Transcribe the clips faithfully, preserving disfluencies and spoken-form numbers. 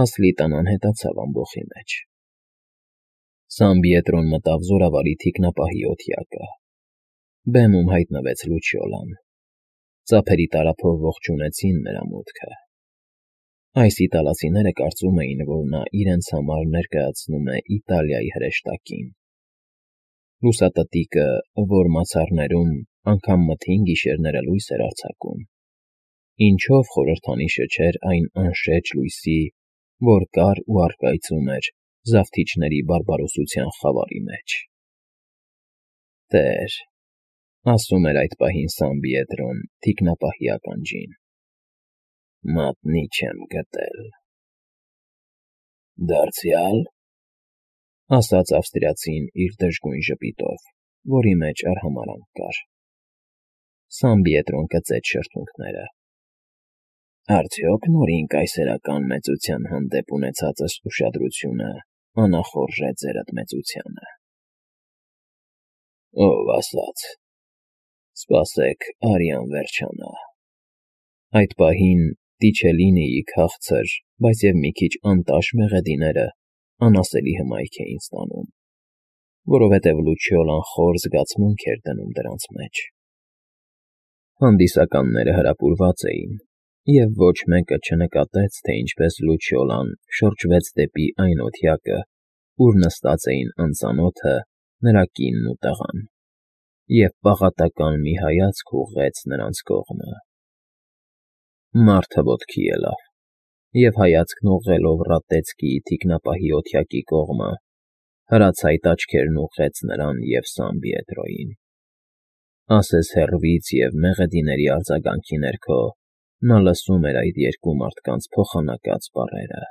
Ասլիտան անհետացավ ամբոխի մեջ։ Սան Պիետրոն մտավ զորավարի թիկնապահի օթյակը։ Բեմում հայտնվեց Լուչիոլան։ Ծափերի տարափով ողջունեցին նրա մուտքը։ Այս իտալացիները կարծում էին, որ նա իրենց համար ներկայացնում է Իտալիայի հրեշտակին։ Լուսատտիկը, որ մացառներում անգամ մթին գիշերները լույս էր արձակում, ինչով խորհրդանիշը չէր այն անշեջ լույսի, որ կար ու առկայծում էր զավթիչների բարբարոսության խավարի մեջ։ «Տեր,֊ ասում էր այդ պահին Սան Պիետրոն թիկնապահի ականջին,֊ մատնի չեմ գտել»։ «Դարձյալ,֊ ասաց ավստրիացին իր դժգույն ժպիտով, որի մեջ արհամարհանք կար։ Սան Պիետրոն կծեց շրթունքները։ «Արդյոք նորին կայսերական մեծության հանդեպ ունեցածս ուշադրությունը անախորժ է ձերդ մեծությանը»։ «Ով ասաց. սպասեք արյան վերջանա»։ Այդ պահին Տիչելինիի քաղցր, բայց և մի քիչ անտաշ մեղեդիները անասելի հմայք էին ստանում, որովհետև Լուչիոլան խոր զգացմունք էր դնում դրանց մեջ։ Հանդիսականները հրապուրված էին, և ոչ մեկը չնկատեց, թե ինչպես Լուչիոլան շրջվեց դեպի այն օթյակը, ուր նստած էին անծանոթը, նրա կինն ու տղան, և պաղատական մի հայացք ուղղեց նրանց կողմը։ Մարդը ոտքի ելավ և, հայացքն ուղղելով Ռատեցկիի թիկնապահի օթյակի կողմը, հրացայտ աչքերն ուղղեց նրան և Սան Պիետրոյին։ Ասես հեռվից և մեղեդիների արձագանքի ներքո նա լսում էր այդ երկու մարդկանց փոխանակած բառերը։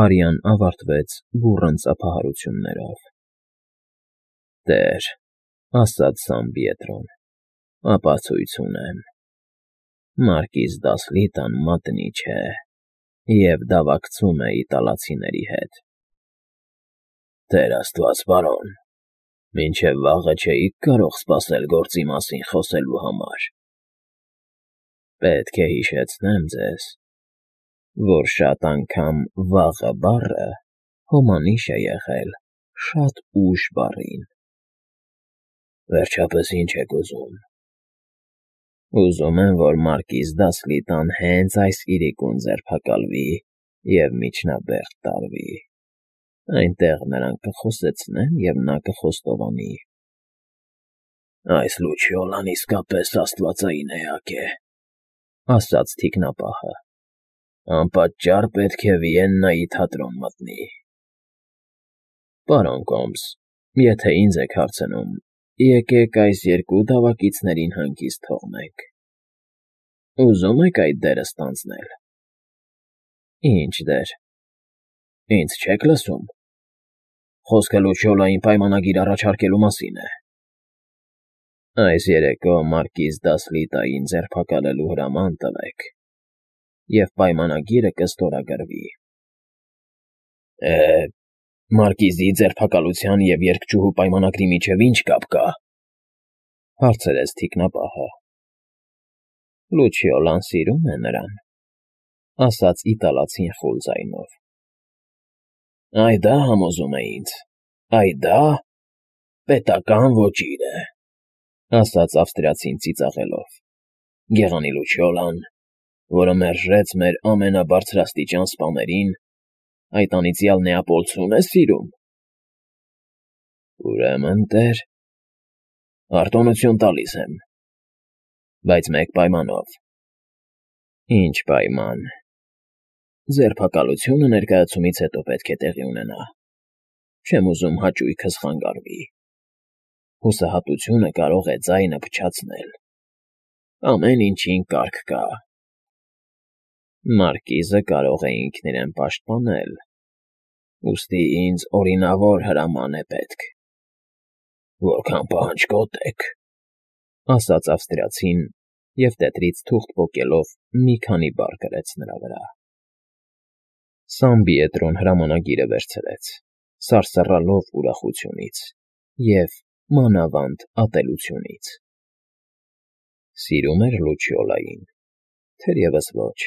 Արյան ավարտվեց բուռն ծափահարություններով։ «Տեր,֊ ասաց Սան Պիետրոն,֊ ապացույց ունեմ. մարկիս Դասլիտան մատնի չէ և դավակցում է իտալացիների հետ»։ «Տեր աստված, պարոն, մինչև վաղը չէի՞ք կարող սպասել գործի մասին խոսելու համար»։ «Պետք է հիշեցնեմ ձեզ, որ շատ անգամ վաղը բառը հոմանիշ է եղել շատ ուշ բառին»։ «Վերջապես ի՞նչ եք ուզում»։ «Ուզում եմ, որ մարկիս Դասլիտան հենց այս իրիկուն ձերբակալվի և միջնաբերդ տարվի։ Այնտեղ նրան կխոսեցնեն, և նա կխոստովանի»։ «Այս Լուչիոլան իսկապես աստվածային էակ է», ասաց թիկնապահը։ «Անպատճառ պետք է Վիեննայի թատրոն մտնի»։ «Պարոն Կոմս, եթե ինձ եք հարցնում, եկեք այս երկու դավակիցներին հանգիստ թողնենք։ Ուզո՞ւմ եք այդ դերը ստանձնել»։ «Ի՞նչ դեր»։ «Ինձ չե՞ք լսում։ Խոսքը Լուչիոլային պայմանագիր առաջարկելու մասին է»։ «Այս երեկո մարկիս Դասլիտային ձերբակալելու հրաման տվեք, և պայմանագիրը կստորագրվի»։ «Է, մարկիզի ձերբակալության և երգչուհու պայմանագրի միջև ի՞նչ կապ կա»։ հարցրեց թիկնապահը։ «Լուչիոլան սիրում է նրան», ասաց իտալացին խուլ ձայնով։ «Այ դա համոզում է ինձ, այ դա պետական ոճիր է», ասաց ավստրիացին ծիծաղելով։ «Գեղանի Լուչիոլան, որը մերժեց մեր ամենաբարձրաստիճան սպաներին, այդ անիծյալ նեապոլցու՞ն է սիրում»։ «Ուրեմն, տեր, արտոնություն տալիս եմ, բայց մեկ պայմանով»։ «Ի՞նչ պայման»։ «Ձերբակալությունը ներկայացումից հետո պետք է տեղի ունենա։ Չեմ ուզում հաճույքս խանգարվի։ Հուսահատությունը կարող է ձայնը փչացնել։ Ամեն ինչին կարգ կա»։ «Մարկիզը կարող է ինքն իրեն պաշտպանել, ուստի ինձ օրինավոր հրաման է պետք»։ «Որքան պահանջկոտ եք», ասաց ավստրիացին և տետրից թուղթ պոկելով մի քանի բառ գրեց նրա վրա։ Սան Պիետրոն հրամանագիրը վերցրեց, սարսռալով ուրախությունից և, մանավանդ, ատելությունից։ Սիրում էր Լուչիոլային, թերևս ոչ,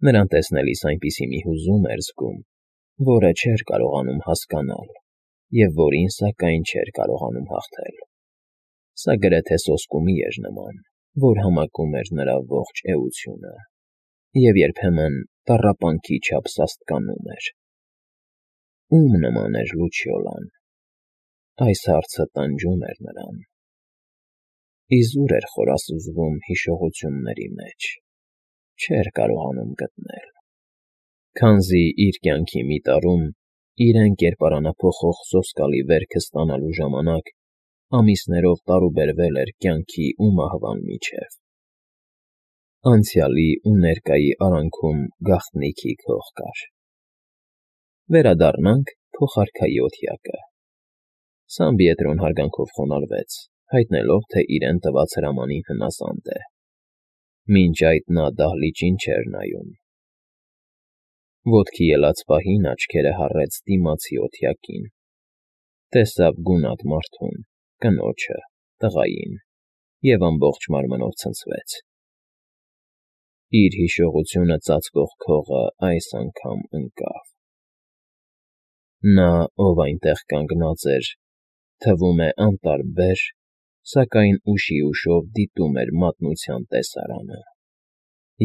Նրան տեսնելիս այնպիսի մի հուզում էր զգում, որը չէր կարողանում հասկանալ և որին, սակայն, չէր կարողանում հաղթել. սա գրեթե սոսկումի էր նման, որ համակում էր նրա ողջ էությունը և երբեմն տառապանքի չափ սաստկանում էր։ Ո՞ւմ նման էր Լուչիոլան։ Այս հարցը տանջում էր նրան։ Իզուր էր խորասուզվում հիշողությունների մեջ, չէր կարողանում գտնել։ Քանզի իր կյանքի մի տարում իրեն կերպարանափոխող սոսկալի վերքը ստանալու ժամանակ ամիսներով տարուբերվել էր կյանքի ու մահվան միջև։ Անցյալի ու ներկայի արանքում գաղտնիքի քող կար։ Վերադառնանք փոխարքայի օթյակը։ Սամբիետրոն հարգանքով խոնարհվեց, հայտնելով, թե իրեն տված հրամանին հնասանդ է։ Մինչ այդ նա դահլիճին չէր նայում։ Ոտքի ելած պահին աչքերը հառեց դիմացի օթյակին, տեսավ գունատ մարդուն, կնոջը, տղային և ամբողջ մարմնով ցնցվեց։ Իր հիշողությունը ծածկող քողը այս անգամ ընկավ։ Նա, ով այնտեղ կանգնած էր, թվում է անտարբեր, սակայն ուշիուշով դիտում էր մատնության տեսարանը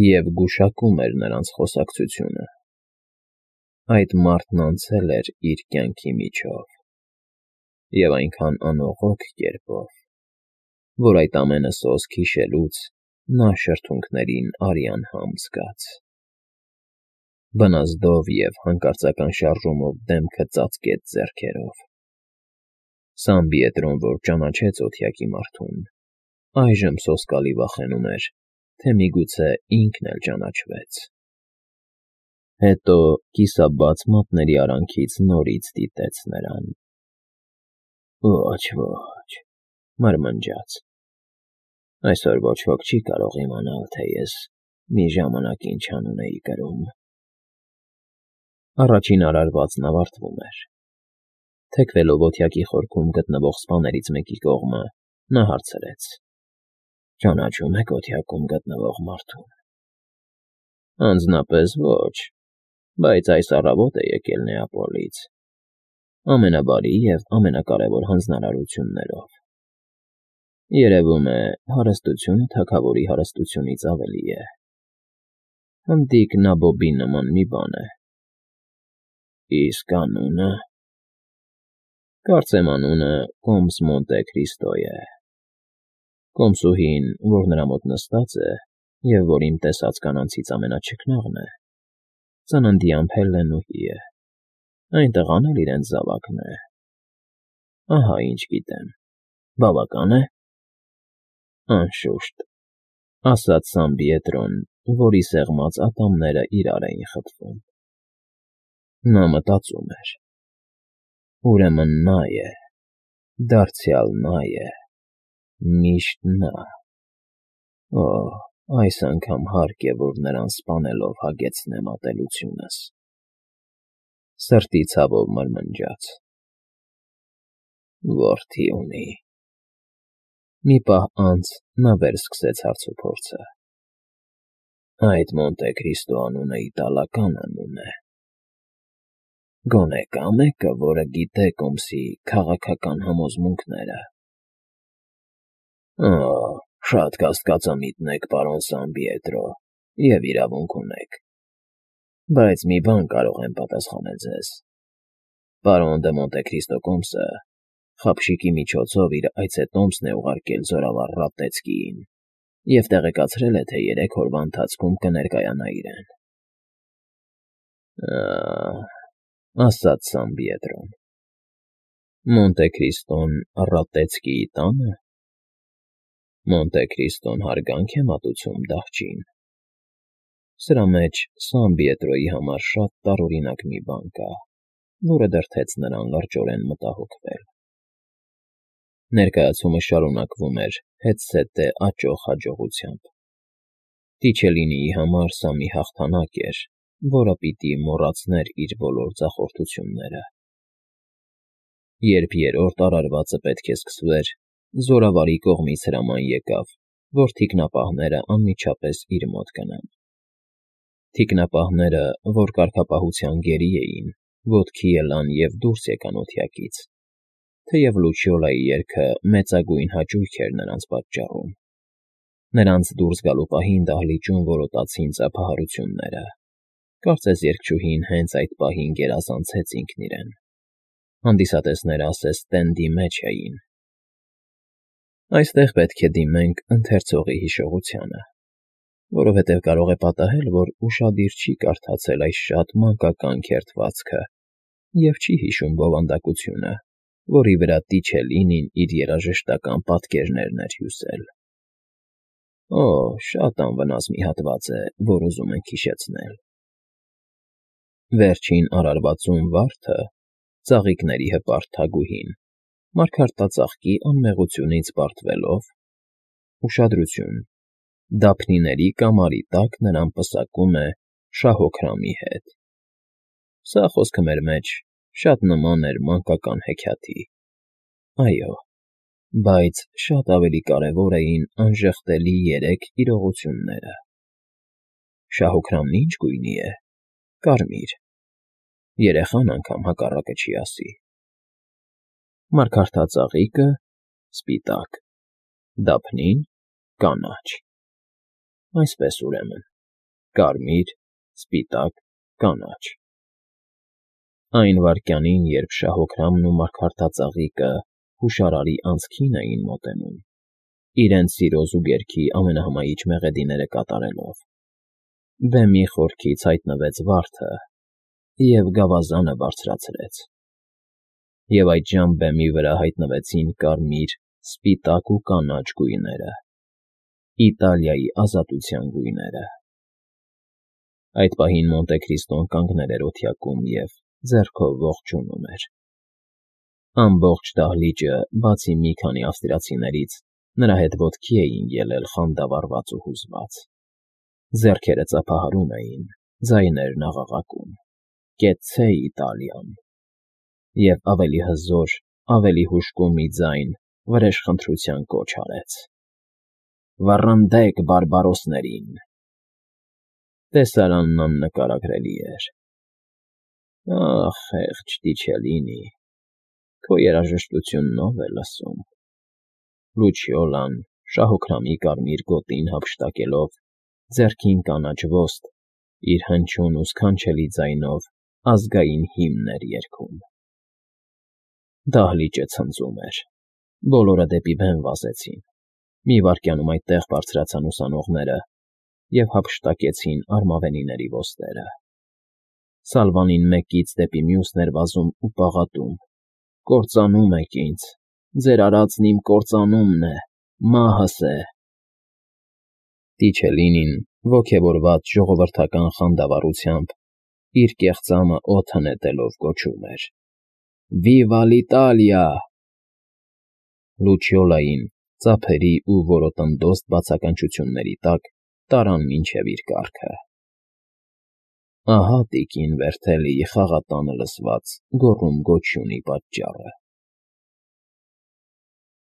և գուշակում էր նրանց խոսակցությունը։ Այդ մարդն անցել էր իր կյանքի միջով, և այնքան անողոք կերպով, որ այդ ամենը սոսկ հիշելուց նա շրթունքներին արյան համ զգաց։ Բնազդով և հանկարծական շարժումով դեմքը ծածկեց ձեռքերով։ Սամբիետրոն, որ ճանաչեց օթյակի մարդուն, այժմ սոսկալի վախենում էր, թե միգուցե ինքն էլ ճանաչվեց։ Հետո կիսաբաց մատների արանքից նորից դիտեց նրան։ Ոչ, ոչ, մրմնջաց. այսօր ոչ ոք չի կարող իմանալ, թե ես մի ժամանակ ինչ անուն էի կրում։ Առաջին արարվածն ավարտվում էր։ Թեքվելով օթյակի խորքում գտնվող սպաներից մեկի կողմը, նա հարցրեց. ճանաչո՞ւմ եք օթյակում գտնվող մարդուն։ Անձնապես ոչ, բայց այս առավոտ է եկել Նեապոլից, ամենաբարի և ամենակարևոր հանձնարարություններով։ Երևում է, հարստությունը թագավորի հարստությունից ավելի է։ Հնդիկ նաբոբի նման մի բան է։ Իսկ անունը… Կարծեմ անունը կոմս Մոնտե Քրիստո է։ Կոմսուհին, որ նրա մոտ նստած է և որ իմ տեսած կանանցից ամենաչքնաղն է, ծննդյան Փելլենուհի է, այն տղան էլ իրենց զավակն է։ Ահա ինչ գիտեմ, բավակա՞ն է։ Անշուշտ, ասաց Սամբիետրոն, որի սեղմած ատամները իրար էին խփվում։ Նա մտածում էր. ուրեմն նա է, դարձյալ նա է, միշտ նա… Օ՜, այս անգամ հարկ է, որ նրան սպանելով հագեցնեմ ատելությունս… Սրտի ցավով մրմնջաց. որդի ունի… Մի պահ անց նա վերսկսեց հարցուփորձը. այդ Մոնտե Քրիստո անունը իտալական անուն է… Գոնե կա՞ մեկը, որը գիտե կոմսի քաղաքական համոզմունքները։ Օ՜, շատ կասկածամիտն եք, պարոն Սամբիետրո, և իրավունք ունեք, բայց մի բան կարող եմ պատասխանել ձեզ. պարոն դը Մոնտե Քրիստո կոմսը խաբշիկի միջոցով իր այցետոմսն է ուղարկել զորավար Ռատտեցկիին և տեղեկացրել է, թե երեք օրվա ընթացքում կներկայանա իրեն։ Ա՜, ասաց Սամբիետրոն. Մոնտե Քրիստոն Ռատտեցկիի տա՞նը։ Մոնտե Քրիստոն հարգանք է մատուցում դահճին։ Սրա մեջ Սամբիետրոյի համար շատ տարօրինակ մի բան կա, որը դրդեց նրան լրջորեն մտահոգվել։ Ներկայացումը շարունակվում էր հետզհետե աճող հաջողությամբ։ Տիչելինիի համար սա մի հաղթանակ էր, որը պիտի մոռացներ իր բոլոր ձախորդությունները։ Երբ երրորդ արարվածը պետք է սկսվեր, զորավարի կողմից հրաման եկավ, որ թիկնապահները անմիջապես իր մոտ գնան։ Թիկնապահները, որ կարգապահության գերի էին, ոտքի ելան և դուրս եկան օդյակից, թեև Լուչիոլայի երգը մեծագույն հաճույք էր նրանց պատճառում. նրանց դուրս գալու պահին դահլիճում որոտացին ծափահարությունները, կարծես երգչուհին հենց այդ պահին գերազանցեց ինքն իրեն, հանդիսատեսները ասես տենդի մեջ էին։ Այստեղ պետք է դիմենք ընթերցողի հիշողությանը, որովհետև կարող է պատահել, որ ուշադիր չի կարդացել այս շատ մանկական քերթվածքը և չի հիշում բովանդակությունը, որի վրա Տիչելինին իր երաժշտական պատկերներն էր հյուսել։ Օ՜, շատ անվնաս մի հատված է, որ ուզում ենք հիշեցնել։ Վերջին արարվածում վարդը, ծաղիկների հպարտ թագուհին, մարգարտածաղկի անմեղությունից պարտվելով, ուշադրություն, դափնիների կամարի տակ նրան պսակում է շահոքրամի հետ։ Սա, խոսքը մեր մեջ, շատ նման էր մանկական հեքիաթի, այո, բայց շատ ավելի կարևոր էին անժխտելի երեք իրողությունները։ Շահոքրամն ի՞նչ գույնի է։ Կարմիր։ Երեխան անգամ հակառակը չի ասի։ Մարգարտածաղիկը՝ սպիտակ, դափնին՝ կանաչ։ Այսպես, ուրեմն, կարմիր, սպիտակ, կանաչ։ Այն վայրկյանին, երբ շահոքրամն ու մարգարտածաղիկը հուշարարի անցքին էին մոտենում, իրենց սիրո զուգերքի ամենահմայիչ մեղեդիները կատարելով, բեմի խորքից հայտնվեց վարդը և գավազանը բարձրացրեց, և այդժամ բեմի վրա հայտնվեցին կարմիր, սպիտակ ու կանաչ գույները, Իտալիայի ազատության գույները։ Այդ պահին Մոնտե Քրիստոն կանգնել էր օդյակում և ձեռքով ողջունում էր։ Ամբողջ դահլիճը, բացի մի քանի ավստրիացիներից, նրա հետ ոտքի էին ելել խանդավառված ու հուզված։ Ձեռքերը ծափահարում էին, ձայներն աղաղակում. «Կեցցե Իտալիան»։ Եվ ավելի հզոր, ավելի հուժկու մի ձայն վրեժխնդրության կոչ արեց. «Վռնդեք բարբարոսներին»։ Տեսարանն աննկարագրելի էր։ Ախ, խեղճ Տիչելինի, քո երաժշտությունն ո՞վ է լսում։ Լուչիոլան, շահոքրամի կարմիր գոտին հափշտակելով, ձեռքին կանաչ ոստ, իր հնչյուն ու սքանչելի ձայնով ազգային հիմն էր երգում։ Դահլիճը ցնծում էր։ Բոլորը դեպի բեմ վազեցին։ Մի վայրկյանում այդտեղ բարձրացան ուսանողները և հափշտակեցին արմավենիների ոսტերը։ Սալվանին մեկից դեպի մյուսն էր վազում ու պաղատում. «Կործանում եք ինձ, ձեր արածն իմ կործանումն է, մահս է»։ Տիչելինին, ոգևորված ժողովրդական խանդավառությամբ, իր կեղծամը օդը նետելով գոչում էր. «Վիվա l'Իտալիա»։ Լուչիոլային, ծափերի ու որոտնդոստ բացականչությունների տակ տարան մինչև իր կառքը։ Ահա տիկին Վերթելիի խաղատանը լսված գոռում֊գոչյունի պատճառը։